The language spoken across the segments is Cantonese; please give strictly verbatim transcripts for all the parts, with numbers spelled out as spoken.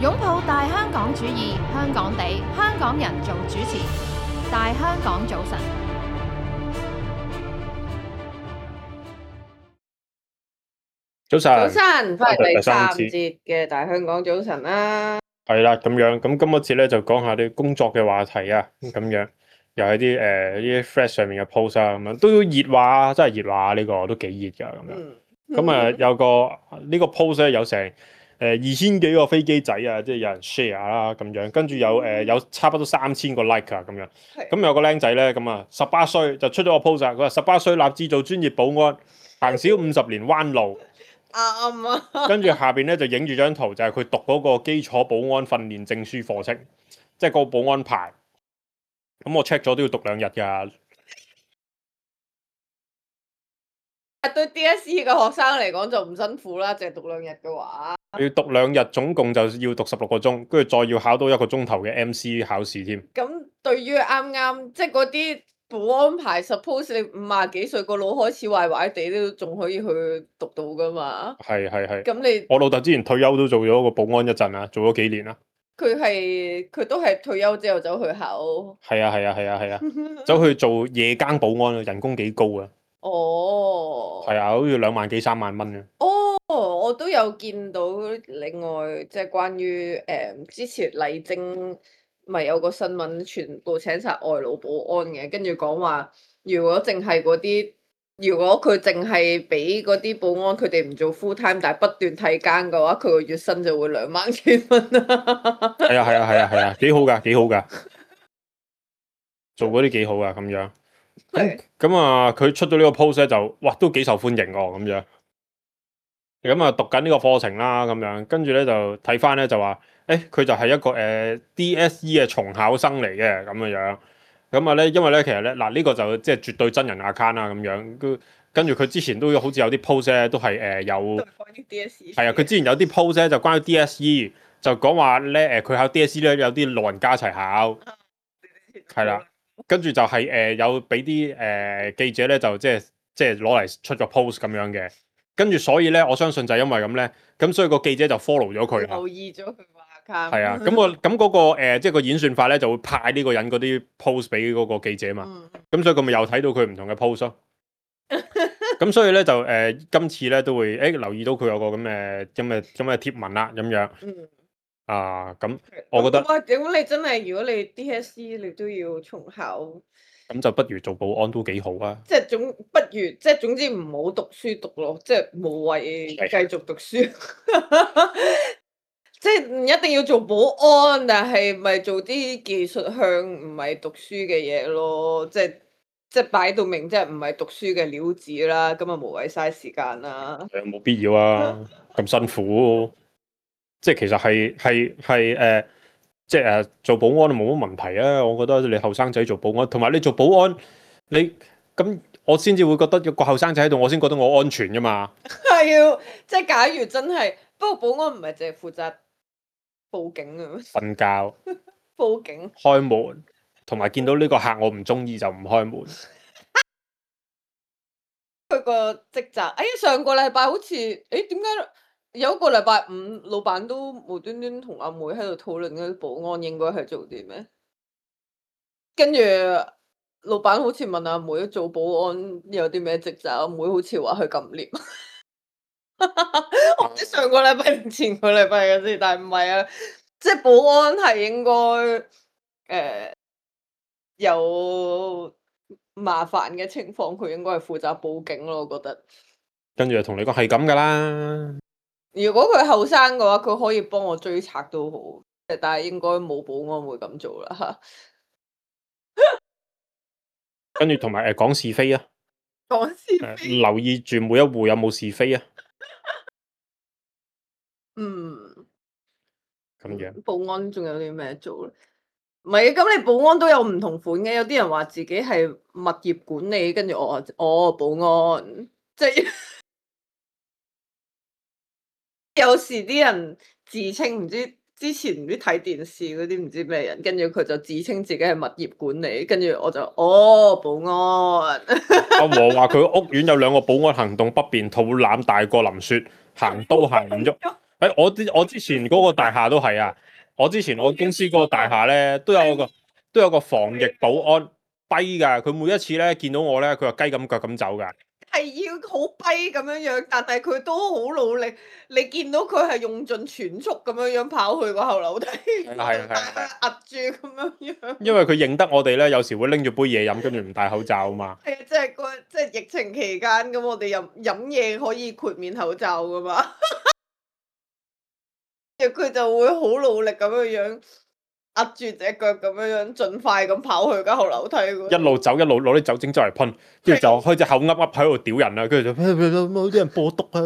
擁抱大香港主義，香港地，香港人做主持。大香港早晨，早晨，早晨，翻嚟第第三三節嘅大香港早晨啦。係啦，咁樣咁今一節咧就講下啲工作嘅話題啊，咁樣又係啲誒啲 Threads 上面嘅 post 啊，咁樣都熱話，真係熱話呢個都幾熱㗎咁樣。咁啊、嗯、有個呢、呢個 post 咧有成誒二千幾個飛機仔啊，即係有人 share 啦咁樣，跟住有誒、呃、有差不多三千個 like 啊咁樣。咁有個僆仔咧咁啊十八歲就出咗個 post 啊，佢話十八歲立志做專業保安，行少五十年彎路。啱啊！跟住下邊咧就影住張圖，就係佢讀嗰個基礎保安訓練證書課程，即係個保安牌。咁我 check 咗都要讀兩日㗎。對 D S E 嘅學生嚟講就唔辛苦啦，淨係讀兩日嘅話。要讀兩日，總共就要讀十六個鐘，跟住再要考到一個鐘頭嘅 M C 考試添。咁對於啱啱即係嗰啲保安牌 ，suppose 你五廿幾歲個腦開始壞壞地都仲可以去讀到㗎嘛？係係係。咁你我老豆之前退休都做咗個保安一陣啊，做咗幾年啦。佢係佢都係退休之後走去考。係啊係啊係啊係啊，走去做夜更保安啊，人工幾高啊！哦。係啊，好似兩萬幾三萬蚊啊。哦，我都有見到另外即係關於誒、嗯、之前麗晶咪有個新聞，全部請晒外勞保安嘅，跟住講話如果淨係嗰啲，如果佢淨係俾嗰啲保安佢哋唔做 full time，但係不斷替更嘅話，佢個月薪就會兩萬幾蚊啊！係啊係啊係啊係啊，幾好㗎幾好㗎，做嗰啲幾好㗎咁樣。咁咁啊，佢出到呢個 post 咧就，哇，都幾受歡迎哦咁樣。咁啊，讀緊呢個課程啦，咁樣跟住咧就睇翻咧就話，誒佢就係一個誒、呃、D S E 嘅重考生嚟嘅咁嘅樣。咁啊咧，因為咧其實咧嗱呢、呢個就即係絕對真人 account 啦咁樣。跟住佢之前都好似有啲 post 咧都係誒、呃、有，係啊，佢之前有啲 post 咧就關於 D S E， 就講話咧誒佢考 D S E 咧有啲老人家一齊考，係啦。跟住就係、是、誒、呃、有俾啲誒記者咧就即係即係攞嚟出個 post 咁樣嘅，跟住所以咧我相信就係因為咁咧，咁所以個記者就 follow 咗佢，留意咗佢個 account。係啊，咁個咁嗰個誒即係個演算法咧就會派呢個人嗰啲 post 俾嗰個記者嘛，咁、嗯、所以佢咪又睇到佢唔同嘅 post 咯。咁所以咧就誒、呃、今次咧都會誒、欸、留意到佢有個咁嘅咁嘅咁嘅貼文啦咁樣。嗯啊，咁我覺得，哇！咁你真係，如果你 D S E 你都要重考，咁就不如做保安都幾好啊！即係總不如，即係總之唔好讀書讀咯，即係無謂繼續讀書。即係唔一定要做保安，但係咪做啲技術向唔係讀書嘅嘢咯？即係即係擺到明，即係唔係讀書嘅料子啦，咁啊無謂嘥時間啦。誒，冇必要啊，咁辛苦。即係其實係係係誒，即係誒做保安都冇乜問題啊！我覺得你後生仔做保安，同埋你做保安，你咁我先至會覺得有個後生仔喺度，我先覺得我安全噶嘛。係要即係假如真係，不過保安唔係淨係負責報警啊，瞓覺、報警、開門，同埋見到呢個客我唔中意就唔開門。佢個職責，哎上個禮拜好似，誒點解？有一個禮拜五，老闆都無端端同阿妹喺度討論嗰啲保安應該係做啲咩？跟住老闆好似問阿妹做保安有啲咩職責，阿妹好似話去撳 lift。我唔知上個禮拜定前個禮拜嘅事，但係唔係啊，即係保安係應該誒、呃、有麻煩嘅情況，佢應該係負責報警咯，我覺得。跟住就同你講係咁噶啦。如果佢後生嘅話，佢可以幫我追賊都好，但係應該冇保安會咁做啦吓。跟住同埋誒講是非啊，講是非、呃，留意住每一戶有冇是非啊。嗯，咁樣。保安仲有啲咩做咧？唔係，咁你保安都有唔同款嘅，有啲人話自己係物業管理，跟住我話哦保安，即係。有時啲人自稱唔知之前唔知睇電視嗰啲唔知咩人，跟住佢就自稱自己係物業管理，跟住我就哦保安。阿和話佢屋苑有兩個保安行動不便，肚腩大過林雪，行都行唔喐。誒，我之我之前嗰個大廈都係啊，我之前我公司嗰個大廈咧都有個都有個防疫保安跛㗎，佢每一次咧見到我咧，佢話雞咁腳咁走㗎。係要好跛咁樣樣，但係佢都好努力。你見到佢係用盡全速咁樣樣跑去個後樓梯，係啊係啊係啊係啊壓住咁樣樣。因為佢認得我哋咧，有時會拎住杯嘢飲，跟住唔戴口罩啊嘛。係啊，即係個即係疫情期間咁，我哋飲飲嘢可以豁免口罩噶嘛。佢就會好努力咁樣樣壓住隻腳咁樣樣，盡快咁跑去間後樓梯嗰度。一路走一路攞啲酒精周嚟噴，跟住就開隻口噏噏喺度屌人啦，跟住就冇啲人播毒啊！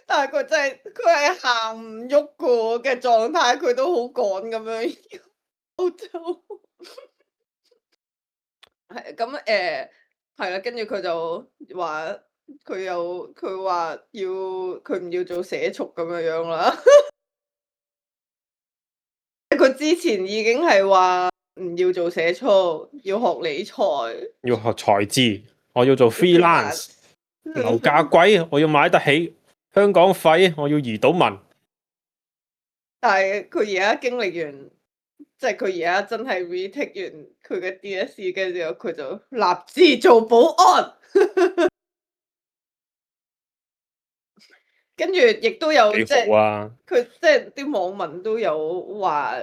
但係佢真係佢係行唔喐個嘅狀態，佢都好趕咁樣歐洲。係咁誒，係啦，跟住佢就話佢有佢話要佢唔要做社畜咁樣樣啦。佢之前已經係話唔要做社畜，要學理財，要學財資，我要做 freelance，樓價貴，我要買得起，香港廢，我要移到民。但係佢而家經歷完，即係佢而家真係 retake 完佢嘅 D S E 嘅時候，佢就立志做保安。跟住亦都有即係幾好啊！佢即係啲網民都有話，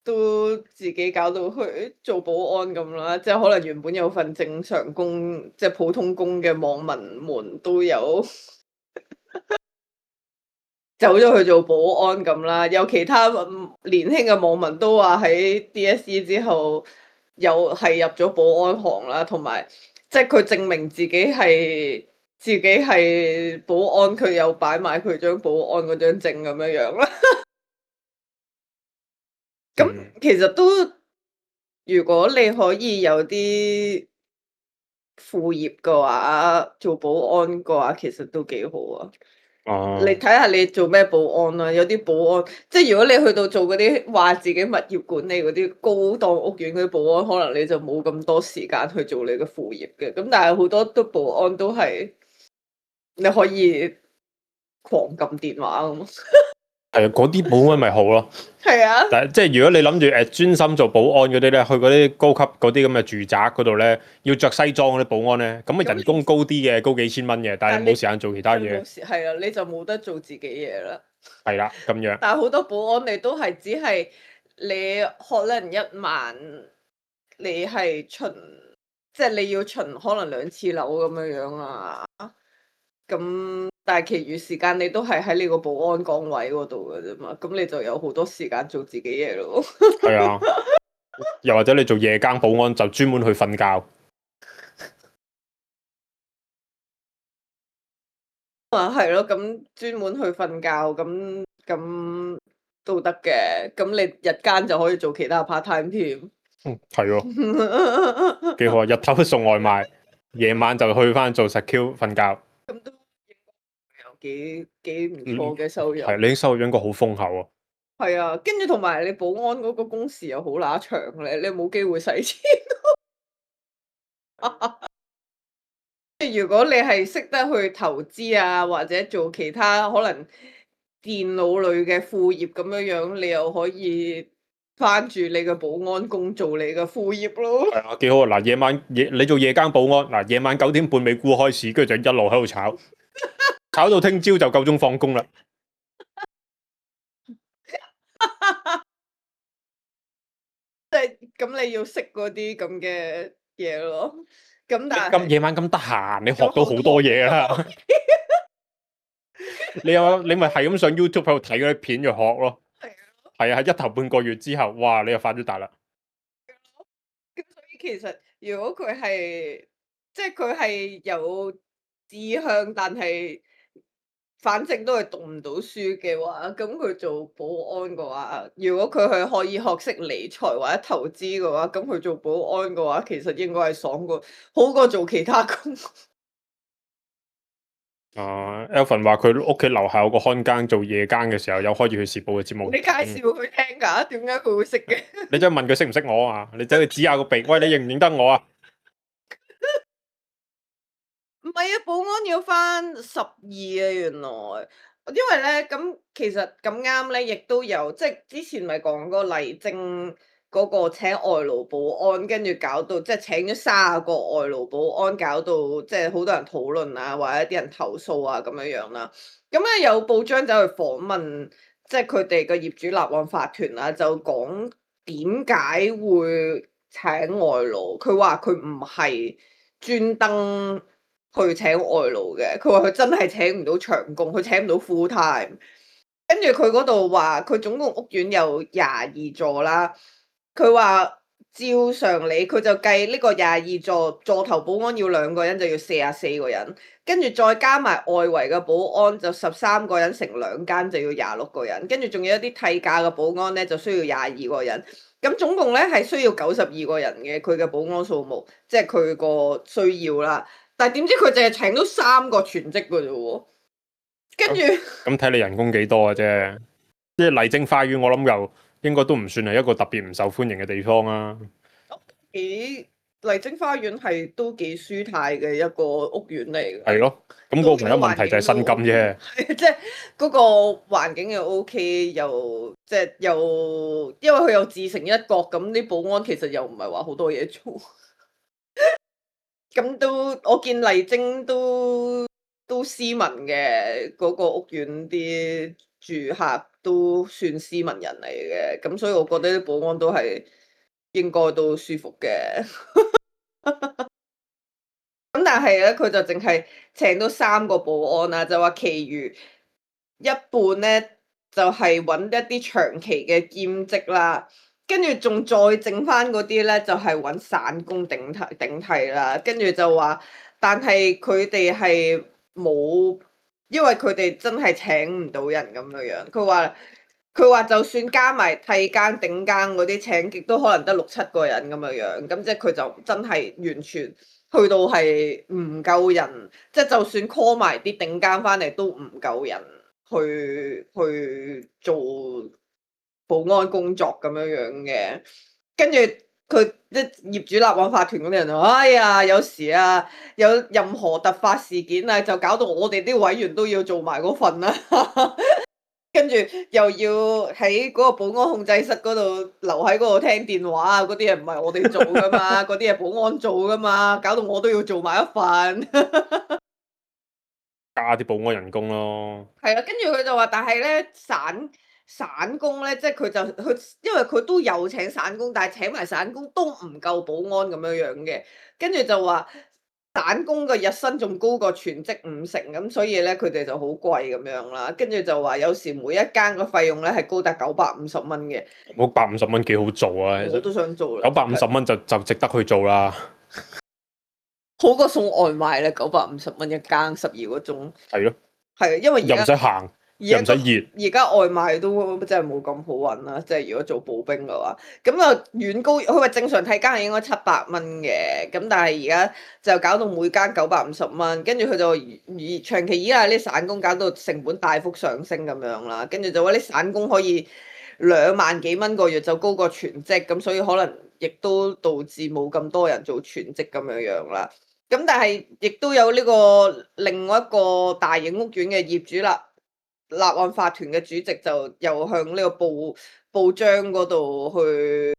都自己搞到去做保安咁啦。即係可能原本有份正常工，即係普通工嘅網民們都有走咗去做保安咁啦。有其他年輕嘅網民都話喺 D S E 之後又係入咗保安行啦，同埋即係佢證明自己係。自己係保安，佢有擺埋佢張保安嗰張證咁樣樣啦。咁其實都，如果你可以有啲副業嘅話，做保安嘅話，其實都幾好啊。哦、你睇下你做咩保安啦，有啲保安，即係如果你去到做嗰啲話自己物業管理嗰啲高檔屋苑嗰啲保安，可能你就冇咁多時間去做你嘅副業嘅。咁但係好多都保安都係。你可以狂撳電話咁，係啊，嗰啲保安咪好咯。係啊，但係即係如果你諗住誒專心做保安嗰啲咧，去嗰啲高級嗰啲咁嘅住宅嗰度咧，要着西裝嗰啲保安咧，咁啊人工高啲嘅，高幾千蚊嘅，但係冇時間做其他嘢。係啊，你就冇得做自己嘢啦。係啦，咁樣。但係好多保安你都係只係你可能一晚，你係巡，即係你要巡可能兩次樓咁樣樣啊。咁，但係其餘時間你都係喺你個保安崗位嗰度嘅啫嘛，咁你就有好多時間做自己嘢咯。係啊，又或者你做夜更保安就專門去瞓覺。啊，係咯，咁專門去瞓覺，咁咁都得嘅。咁你日間就可以做其他 part time 添。嗯，係喎，幾好啊！日頭送外賣，夜晚就去翻做 secure 瞓覺。咁都有幾幾唔錯嘅收入。係、嗯，你啲收入應該好豐厚啊。係啊，跟住同埋你保安嗰個工時又好乸長咧，你冇機會使錢。如果你係識得去投資啊，或者做其他可能電腦類嘅副業咁樣樣，你又可以翻住你嘅保安工做你嘅副業咯。係啊，幾好啊！嗱，夜晚夜你做夜更保安，嗱，夜晚九點半美股開市，跟住就一路喺度炒，炒到聽朝就夠鐘放工啦。即係咁，你要識嗰啲咁嘅嘢咯。咁但係咁夜晚咁得閒，你學到好多嘢啦。你有你咪係咁上 YouTube 喺度睇嗰啲片就學咯。係啊，係一頭半個月之後，哇！你又發咗達啦。咁所以其實如果佢係即係佢係有志向，但係反正都係讀唔到書嘅話，咁佢做保安嘅話，如果佢係可以學識理財或者投資嘅話，咁佢做保安嘅話，其實應該係爽過好過做其他工。啊 Alvin 話佢屋企樓下有個看更做夜更嘅時候，有開住佢時報嘅節目。你介紹佢聽㗎？點解佢會識嘅？你真係問佢識唔識我啊？你走去指下個鼻，喂，你認唔認得我啊？唔係啊，保安要翻十二啊，原來，因為咧咁其實咁啱咧，亦都有即係之前咪講過麗晶嗰個請外勞保安，跟住搞到即係請咗卅個外勞保安，搞到即係好多人討論啊，或者啲人投訴啊咁樣樣啦。咁咧有報章走去訪問，即係佢哋嘅業主立案法團啊，就講點解會請外勞？佢話佢唔係專登去請外勞嘅，佢話佢真係請唔到長工，佢請唔到 full time。跟住佢嗰度話，佢總共屋苑有廿二座啦。佢話照常理，佢就計呢個廿二座座頭保安要兩個人就要四十四個人，跟住再加埋外圍嘅保安就十三個人，乘兩間就要廿六個人，跟住仲有一啲替假嘅保安咧就需要廿二個人。咁總共咧係需要九十二個人嘅，佢嘅保安數目，即係佢個需要啦。但係點知佢淨係請到三個全職嘅啫喎，跟住咁睇你人工幾多嘅啫。即係麗晶花園，我諗又應該都唔算係一個特別唔受歡迎嘅地方啊。幾麗晶花園係都幾舒泰嘅一個屋苑嚟嘅。係咯，咁嗰個唯一問題就係薪金啫。即係嗰個環境又 OK，又即係又因為佢又自成一角，咁啲保安其實又唔係話好多嘢做。咁都我見麗晶都都斯文嘅，嗰個屋苑啲住客都算斯文人嚟嘅，咁所以我覺得啲保安都係應該都舒服嘅。咁但係咧，佢就淨係請到三個保安啦，就話其餘一半咧就係揾一啲長期嘅兼職啦。跟住仲再剩翻嗰啲咧，就係揾散工頂替頂替啦。跟住就話，但係佢哋係冇，因為佢哋真係請唔到人咁樣樣。佢話佢話就算加埋替更頂更嗰啲請極都可能得六七個人咁樣樣。咁即係佢就真係完全去到係唔夠人，即係就算 call 埋啲頂更翻嚟都唔夠人去去做保安工作咁樣樣嘅。跟住佢啲業主立案法團嗰啲人就話：哎呀，有時啊，有任何突發事件啊，就搞到我哋啲委員都要做埋嗰份啦。跟住又要喺嗰個保安控制室嗰度留喺嗰度聽電話啊，嗰啲嘢唔係我哋做噶嘛，嗰啲係保安做噶嘛，搞到我都要做埋一份。加啲保安人工咯。係啊，跟住佢就話，但係咧散散工咧，即係佢就佢，因為佢都有請散工，但係請埋散工都唔夠保安咁樣樣嘅。跟住就話散工嘅日薪仲高過全職五成，咁所以咧佢哋就好貴咁樣啦。跟住就話有時每一間個費用咧係高達九百五十蚊嘅。嗰百五十蚊幾好做啊！我都想做啦。九百五十蚊就就值得去做啦。好過送外賣咧，九百五十蚊一間，十二個鐘。係咯。係啊，因為又唔使行，又唔使熱。而家外賣都真係冇咁好揾啦，即係如果做步兵嘅話，咁啊遠高。佢話正常睇間係應該七百蚊嘅，咁但係而家就搞到每間九百五十蚊，跟住佢就以長期依賴啲散工，搞到成本大幅上升咁樣啦。跟住就話啲散工可以兩萬幾蚊個月就高過全職，咁所以可能亦都導致冇咁多人做全職咁樣樣啦。咁但係亦都有呢個另外一個大型屋苑嘅業主立立案法團嘅主席就又向呢個報報章嗰度去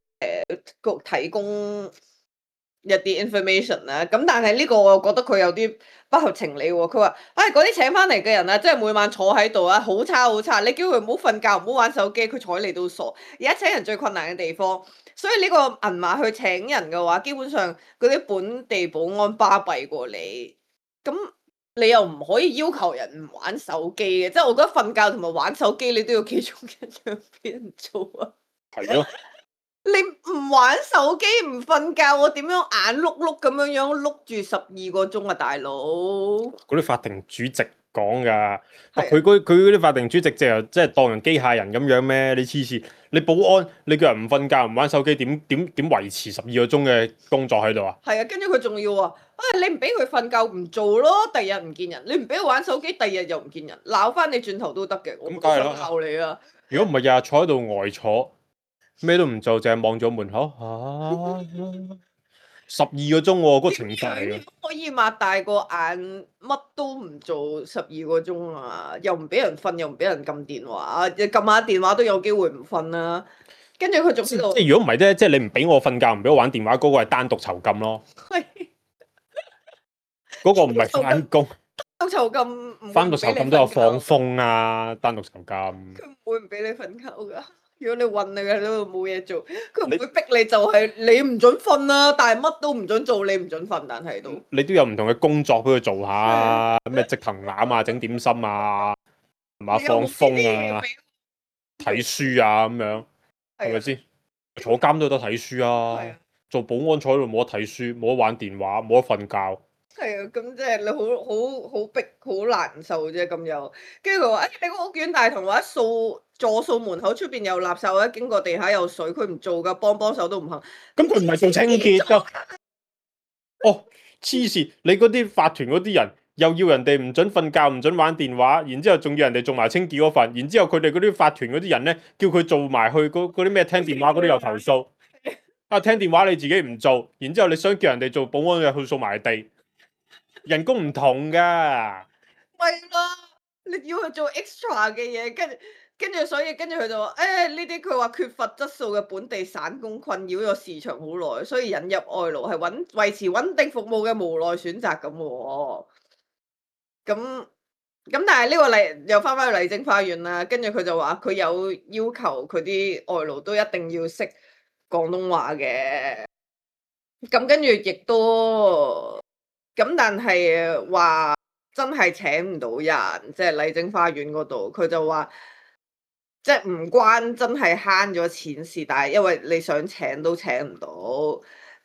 誒提供一啲 information 啦。咁但係呢個我覺得佢有啲不合情理喎。佢話：唉，嗰啲請翻嚟嘅人啊，即係每晚坐喺度啊，好差好差。你叫佢唔好瞓覺，唔好玩手機，佢睬你都傻。而家請人最困難嘅地方。所以呢個銀碼去請人嘅話，基本上嗰啲本地保安巴閉過你，咁你又唔可以要求人唔玩手機嘅，即係我覺得瞓覺同埋玩手機你都要其中一樣俾人做啊。係咯。你唔玩手機唔瞓覺，我點樣眼碌碌咁樣樣碌住十二個鐘啊，大佬？嗰啲法庭主席講㗎，佢嗰佢嗰啲法庭主席就即係當人機械人咁樣咩？你黐線！你保安你叫人唔瞓覺唔玩手機，點點點維持十二個鐘嘅工作喺度啊？係啊，跟住佢仲要話，啊你唔俾佢瞓覺唔做咯，第日唔見人；你唔俾佢玩手機，第日又唔見人，鬧翻你轉頭都得嘅。咁梗係啦，鬧你啊！如果唔係日日坐喺度呆坐，咩都唔做，淨係望咗門口，啊十二個鐘喎，嗰個情況嚟嘅。可以擘大個眼，乜都唔做十二個鐘啊！又唔俾人瞓，又唔俾人撳電話，撳下電話都有機會唔瞓啦。跟住佢仲喺度，即係如果唔係咧，即係你唔俾我瞓覺，唔俾我玩電話，嗰、嗰個係單獨囚禁咯。係嗰個唔係翻工。單獨囚禁，單獨囚禁都有放風啊！單獨囚禁。佢唔會唔俾你瞓覺㗎。如果你韞你喺度冇嘢做，佢唔會逼你，就係你唔准瞓啦。但係乜都唔准做，你唔准瞓，但係都你都有唔同嘅工作俾佢做下，咩織藤籃啊、整點心啊，係嘛放風啊、睇書啊咁樣，係咪先？坐監都有得睇書啊，做保安坐喺度冇得睇書，冇得玩電話，冇得瞓覺。係啊，咁即係你好好好逼，好難受啫咁又。跟住佢話：誒、哎，你個屋苑大堂或者掃座掃門口出邊有垃圾，或者經過地下有水，佢唔做噶，幫幫手都唔肯。咁佢唔係做清潔㗎。哦，黐線！你嗰啲法團嗰啲人又要人哋唔准瞓覺，唔准玩電話，然之後仲要人哋做埋清潔嗰份，然之後佢哋嗰啲法團嗰啲人咧，叫佢做埋去嗰啲咩聽電話嗰啲又投訴。啊，聽電話你自己唔做，然之後你想叫人哋做保安又去掃埋地。人工唔同噶，咪咯，你要去做 extra 嘅嘢，跟住跟住，所以跟住佢就話：誒呢啲佢話缺乏質素嘅本地散工困擾咗市場好耐，所以引入外勞係穩維持穩定服務嘅無奈選擇咁喎。咁咁，但係呢個麗又翻返去麗晶花園啦，跟住佢就話佢有要求佢啲外勞都一定要識廣東話嘅。咁跟住亦都。咁但係話真係請唔到人，即係麗晶花園嗰度，佢就話即係唔關真係慳咗錢事，但係因為你想請都請唔到。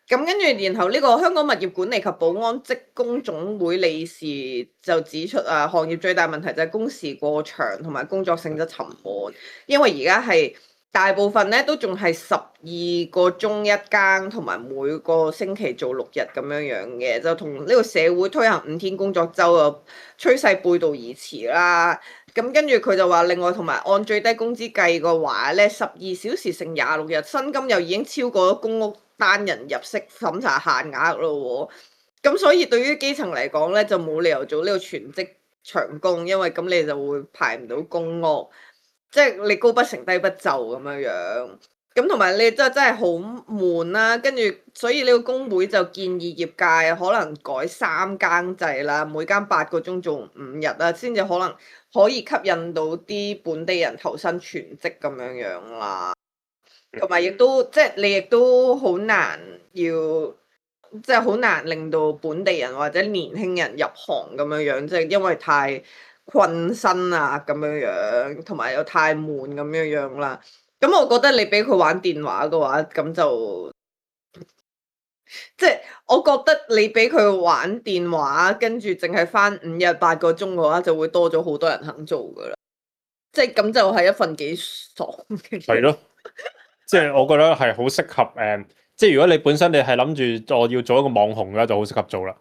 咁跟住，然後呢個香港物業管理及保安職工總會理事就指出啊，行業最大問題就係工時過長同埋工作性質沉悶，因為而家係。大部分咧都仲係十二個鐘一更，同埋每個星期做六日咁樣樣嘅，就同呢個社會推行五天工作週嘅趨勢背道而馳啦。咁跟住佢就話，另外同埋按最低工資計嘅話咧，十二小時乘廿六日，薪金又已經超過咗公屋單人入息審查限額咯喎。咁所以對於基層嚟講咧，就冇理由做呢個全職長工，因為咁你就會排唔到公屋。即係你高不成低不就咁樣樣，咁同埋你真真係好悶啦。跟住所以呢個工會就建議業界可能改三更制啦，每間八個鐘做五日啦，先至可能可以吸引到啲本地人投身全職咁樣樣啦。同埋亦都即係你亦都好難要，即係好難令到本地人或者年輕人入行咁樣樣，即係因為太困身啊咁樣樣，同埋又太悶咁樣樣啦。咁我覺得你俾佢玩電話嘅話，咁就即係我覺得你俾佢玩電話，跟住淨係返五日八個鐘嘅話，就會多咗好多人肯做噶啦。即係咁就係一份幾爽嘅。係咯，即係我覺得係好適合誒，即係如果你本身你係諗住我要做一個網紅嘅，就好適合做啦。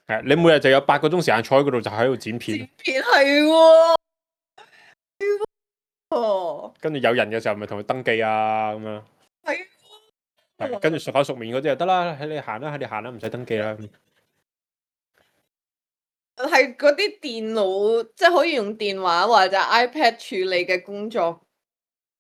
係，你每日就有八個鐘時間坐喺嗰度，就喺度剪片。剪片係喎，哦。跟住有人嘅時候，咪同佢登記啊咁樣。係。係，跟住熟口熟面嗰啲就得啦，喺你行啦，喺你行啦，唔使登記啦。係嗰啲電腦，即係可以用電話或者 iPad 處理嘅工作，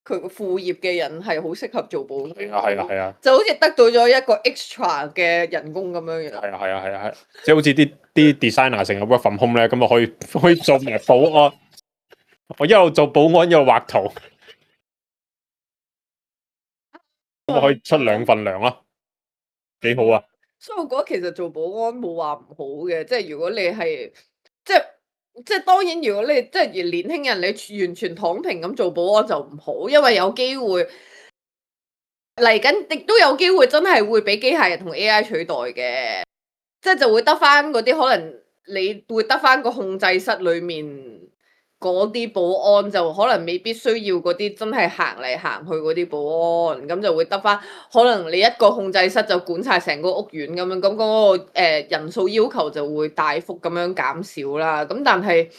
佢個副業嘅人係好適合做保安。係啊係啊係啊，就好似得到咗一個 extra 嘅人工咁樣樣。係啊係啊係啊係，即係好似啲啲 designer 成日 work from home 咧，咁啊可以可以做埋保安，我一路做保安一路畫圖，咁啊可以出兩份糧咯，幾好啊！所以我覺得其實做保安冇話唔好嘅，即係如果你係即係即係當然，如果你即係年輕人，你完全躺平咁做保安就唔好，因為有機會嚟緊，亦都有機會真係會俾機械人同 A I 取代嘅，即係就會得翻嗰啲可能你會得翻個控制室裏面嗰啲保安，就可能未必需要嗰啲真係行嚟行去嗰啲保安，咁就會得翻可能你一個控制室就管晒成個屋苑咁樣，咁嗰個誒人數要求就會大幅咁樣減少啦。咁但係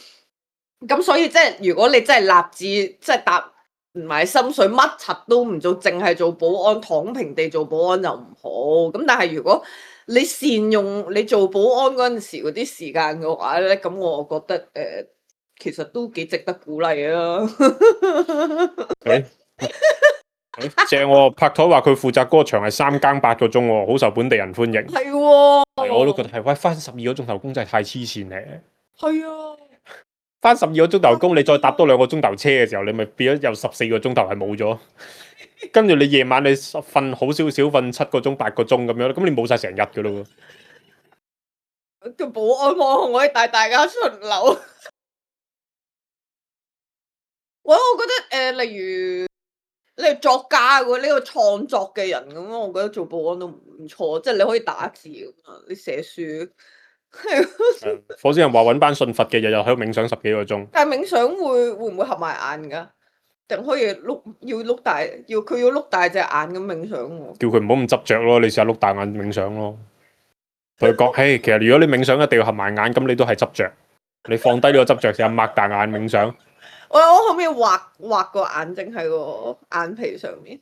咁所以即係如果你真係立志即係踏唔係心水，乜柒都唔做，淨係做保安，躺平地做保安又唔好。咁但係如果你善用你做保安嗰陣時嗰啲時間嘅話咧，咁我覺得誒、呃，其實都幾值得鼓勵啊！誒正喎，拍台話佢負責嗰個場係三更八個鐘喎，好受本地人歡迎。係喎，係我都覺得係，喂，翻十二個鐘頭工真係太黐線咧。係啊，翻十二個鐘頭工，你再搭多兩個鐘頭車嘅時候，你咪變咗有十四個鐘頭係冇咗。跟住你夜晚你瞓好少少，瞓七個鐘八個鐘咁樣，咁你冇晒成日噶咯喎。個保安網可以帶大家巡樓。喂，我覺得誒、呃，例如你係作家喎，呢、呢個創作嘅人咁，我覺得做保安都唔錯，即係你可以打字咁啊，你寫書。係。火星人話揾班信佛嘅，日日喺度冥想十幾個鐘。但係冥想會會唔會合埋眼㗎？定可以碌要碌大，要佢要碌大隻眼咁冥想喎？叫佢唔好咁執着咯，你試下碌大眼冥想咯。同佢講，嘿，其實如果你冥想一定要合埋眼，咁你都係執着。你放低呢個執着，試下擘大眼冥想。我我可唔可以畫畫個眼睛喺個眼皮上面？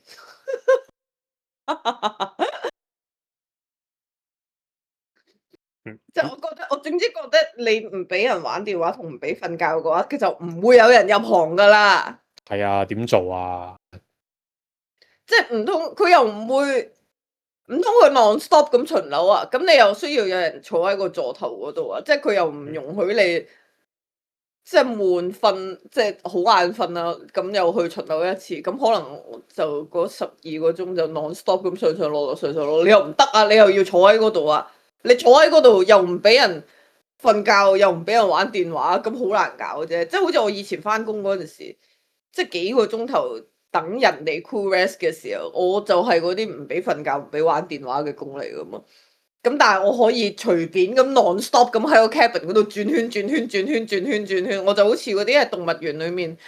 即係我覺得，我總之覺得你唔俾人玩電話同唔俾瞓覺嘅話，佢就唔會有人入行噶啦。係啊，點做啊？即係唔通佢又唔會，唔通佢 non stop 咁巡樓啊？咁你又需要有人坐喺個座頭嗰度啊？即係佢又唔容許你。即係悶瞓，即係好眼瞓啦，咁又去巡樓一次，咁可能就嗰十二個鐘就 non stop 咁上上落落上上落落，你又唔得啊！你又要坐喺嗰度啊！你坐喺嗰度又唔俾人瞓覺，又唔俾人玩電話，咁好難搞啫！即係好似我以前翻工嗰陣時，即係幾個鐘頭等人哋 cool rest 嘅時候，我就係嗰啲唔俾瞓覺、唔俾玩電話嘅工嚟噶嘛。咁但係我可以隨便咁 non stop 咁喺個 cabin 嗰度轉圈轉圈轉圈轉圈轉圈，我就好似嗰啲喺動物園裏面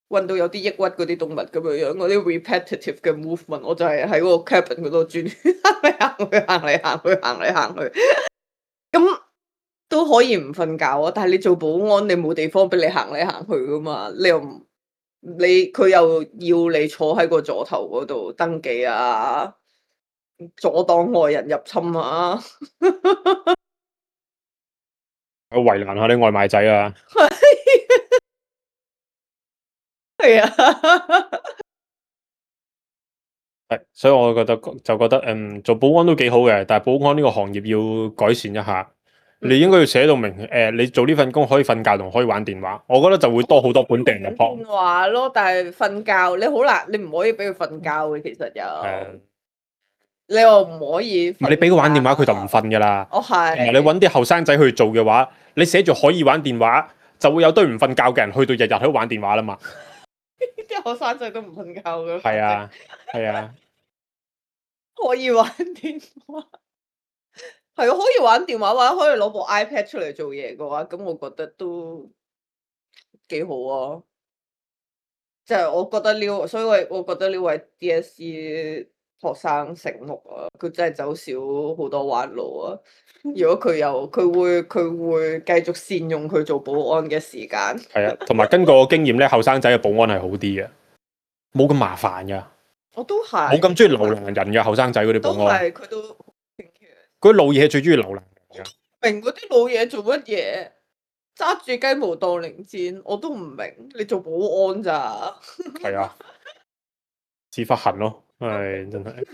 搵到有啲抑鬱嗰啲動物咁樣樣，嗰啲 repetitive 嘅 movement，我就係喺個 cabin 嗰度轉圈行嚟行去行嚟行去行嚟行去，咁都可以唔瞓覺啊！但係你做保安，你冇地方俾你行嚟行去噶嘛？你又唔你佢又要你坐喺個座頭嗰度登記啊？阻擋外人入侵啊！我為難下啲外賣仔啊！係啊，係，所以我覺得就覺得嗯，做保安都幾好嘅，但係保安呢個行業要改善一下。嗯、你應該要寫到明，誒、呃，你做呢份工可以瞓覺同可以玩電話，我覺得就會多好多本地人入行。電話咯，但係瞓覺你好難，你唔可以俾佢瞓覺嘅，其實有。係。你又唔可以，唔係你俾佢玩電話，佢就唔瞓噶啦。哦係。你揾啲後生仔去做嘅話，你寫住可以玩電話，就會有堆唔瞓覺嘅人去到日日喺度玩電話啦嘛。啲後生仔都唔瞓覺噶。係啊，係啊。可以玩電話，係啊，可以玩電話或者可以攞部 iPad 出嚟做嘢嘅話，咁我覺得都幾好啊。即係我覺得呢，所以我我覺得呢位 D S E。學生醒目啊！佢真係走少好多彎路啊！如果佢有，佢會佢會繼續善用佢做保安嘅時間。係啊，同埋根據我經驗咧，後生仔嘅保安係好啲嘅，冇咁麻煩噶。我都係。冇咁中意留難人嘅後生仔嗰啲保安。係佢都。嗰啲老嘢最中意留難人㗎。明嗰啲老嘢做乜嘢？揸住雞毛當令箭，我都唔明。你做保安咋？係啊，屎忽痕咯。係真係，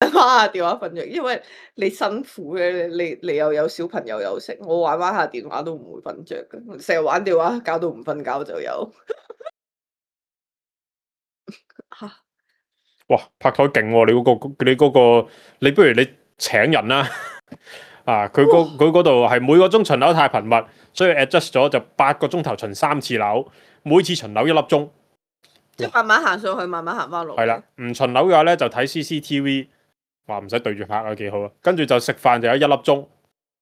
玩下電話瞓着，因為你辛苦嘅，你你又有小朋友又食，我玩玩下電話都唔會瞓着嘅，成日玩電話搞到唔瞓覺就有。哇！拍台勁喎，你嗰、嗰個你嗰、嗰個，你不如你請人啦。啊，佢嗰佢嗰度係每個鐘巡樓太頻密，所以 adjust 咗就八個鐘頭巡三次樓，每次巡樓一粒鐘。即係慢慢行上去，慢慢行翻落。係啦，唔巡樓嘅話咧就睇 C C T V， 話唔使對住客啊，幾好啊。跟住就食飯就有一粒鐘，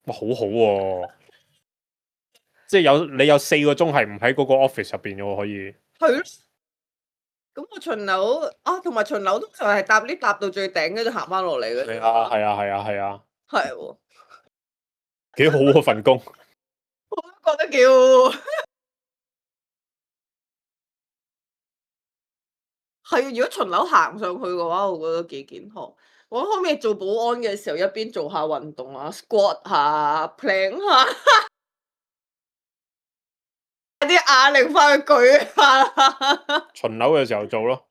哇，好好喎！即係有你有四個鐘係唔喺嗰個 office 入邊嘅喎，可以。係咯。咁我巡樓啊，同埋巡樓通常係搭 lift 搭到最頂，跟住行翻落嚟嘅。係啊，係啊，係啊，係啊。係喎。幾好喎份工。我都覺得幾好。係啊，如果巡樓行上去嘅話，我覺得幾健康。我可唔可以做保安嘅時候一邊做下運動啊，squat 下，plank 下，啲啞鈴翻去舉下。巡樓嘅時候做咯，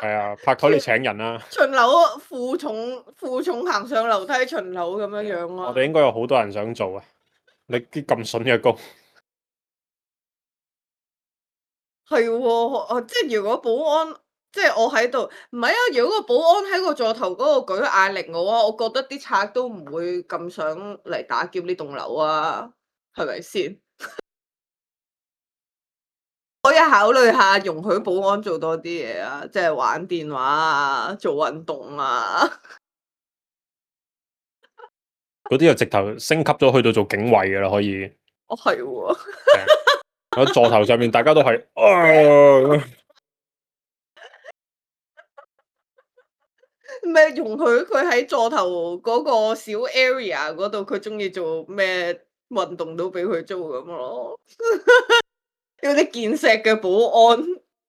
係啊，拍台你請人啦。巡樓負重負重行上樓梯巡樓咁樣樣啊！我哋應該有好多人想做啊！你啲咁筍嘅工，係喎，即係如果保安，即係我喺度，唔係啊！如果個保安喺個座頭嗰度舉啞鈴嘅話，我覺得啲賊都唔會咁想嚟打劫呢棟樓啊，係咪先？可以考慮下容許保安做多啲嘢啊，即係玩電話啊，做運動啊。嗰啲就直頭升級咗去到做警衛嘅啦，可以。哦，係喎。喺座頭上面，大家都係，啊咩容許佢喺座頭嗰個小 area 嗰度，佢中意做咩運動都俾佢做咁咯。有啲健碩嘅保安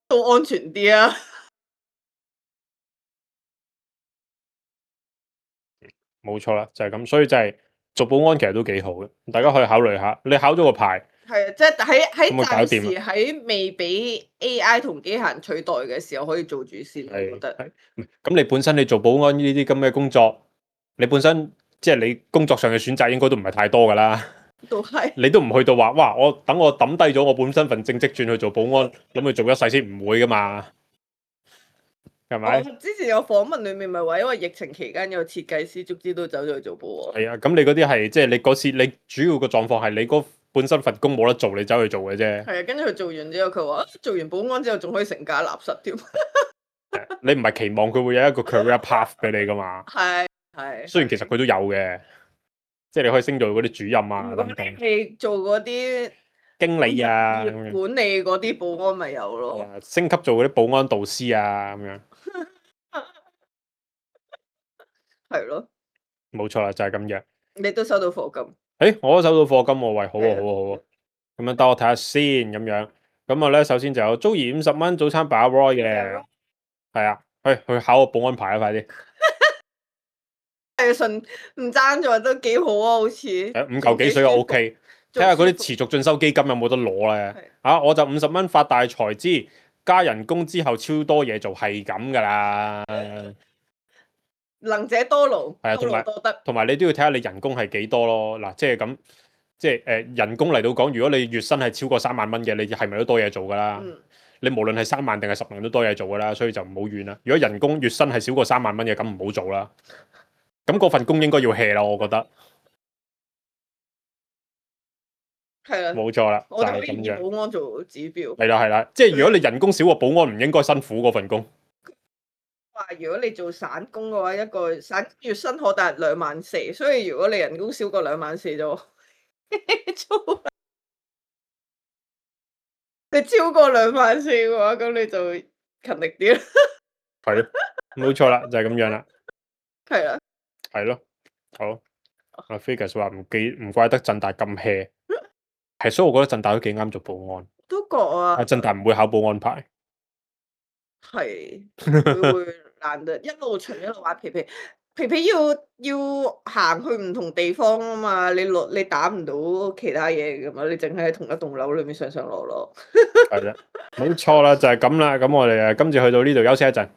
都安全啲啊。冇錯啦，就係咁，所以就係做保安其實都幾好嘅，大家可以考慮下。你考咗個牌，係啊，即係喺喺咁咪搞暫掂時喺未俾 A I 同機械人取代嘅時候，可以做住先。我覺係得係唔係咁你本身你做保安呢啲咁嘅工作，你本身即係你工作上嘅選擇應該都唔係太多噶啦。都係你都唔去到話，哇！我等我抌低咗我本身份正職轉去做保安，咁去做一世先，唔會噶嘛，係咪？我之前有訪問裡面咪話，因為疫情期間有設計師，卒之都走咗去做保安。係啊，咁你嗰啲係即係你嗰次你主要個狀況係你嗰本身份工冇得做，你走去做嘅啫。係啊，跟住佢做完之後，佢話做完保安之後仲可以成家立室添。你唔係期望佢會有一個 career path 俾你噶嘛？係係。雖然其實佢都有嘅，即係你可以升做嗰啲主任啊如果等等，你做嗰啲經理啊咁樣，業管理嗰啲保安咪有咯。係啊升級做嗰啲保安導師啊咁樣，係咯，冇錯啦，就係咁樣。你都收到課金。誒，我都收到課金喎，喂，好係啊啊，好啊，好啊，咁樣等我睇下先，咁樣，咁啊咧，首先就有 Joey 五十蚊早餐把 Roy 嘅，係啊，去去考個保安牌啊，快啲，係順唔爭咗都幾好啊，好似。誒五嚿幾水就 OK，睇下嗰啲持續進修基金有冇得攞咧，啊，我就五十蚊發大財之，加人工之後超多嘢做，係咁噶啦，能者多勞，係啊，多同埋勞多得。同埋你都要睇下你人工係幾多咯，嗱，即係咁。即係誒、呃、人工嚟到講，如果你月薪係超過三萬蚊嘅，你係咪都多嘢做㗎啦？嗯，你無論係三萬定係十萬都多嘢做㗎啦，所以就唔好怨啦。如果人工月薪係少過三萬蚊嘅，咁唔好做啦。咁嗰份工應該要 hea 啦，我覺得。係啦，冇錯啦，就我哋可以以係咁樣。保安做指標。係啦係啦，即係如果你人工少過保安，唔應該辛苦嗰份工。話如果你做散工嘅話，一個散月薪可達兩萬四，所以如果你人工少過兩萬四就做。你超過兩萬四嘅話，咁你就勤力啲啦。係咯，冇錯啦，就係、是、咁樣啦。係啦，係咯，好。阿 Figus 話唔記唔怪得振大咁 hea，係所以我覺得振大都幾啱做保安。都覺啊。阿振大唔會考保安牌。係會會難得一路巡一路玩皮皮，皮皮要要行去唔同地方啊嘛，你落你打唔到其他嘢噶嘛，你淨係喺同一棟樓裏面上上落落。係啦，冇錯啦，就係咁啦。咁我哋誒今次去到呢度休息一陣。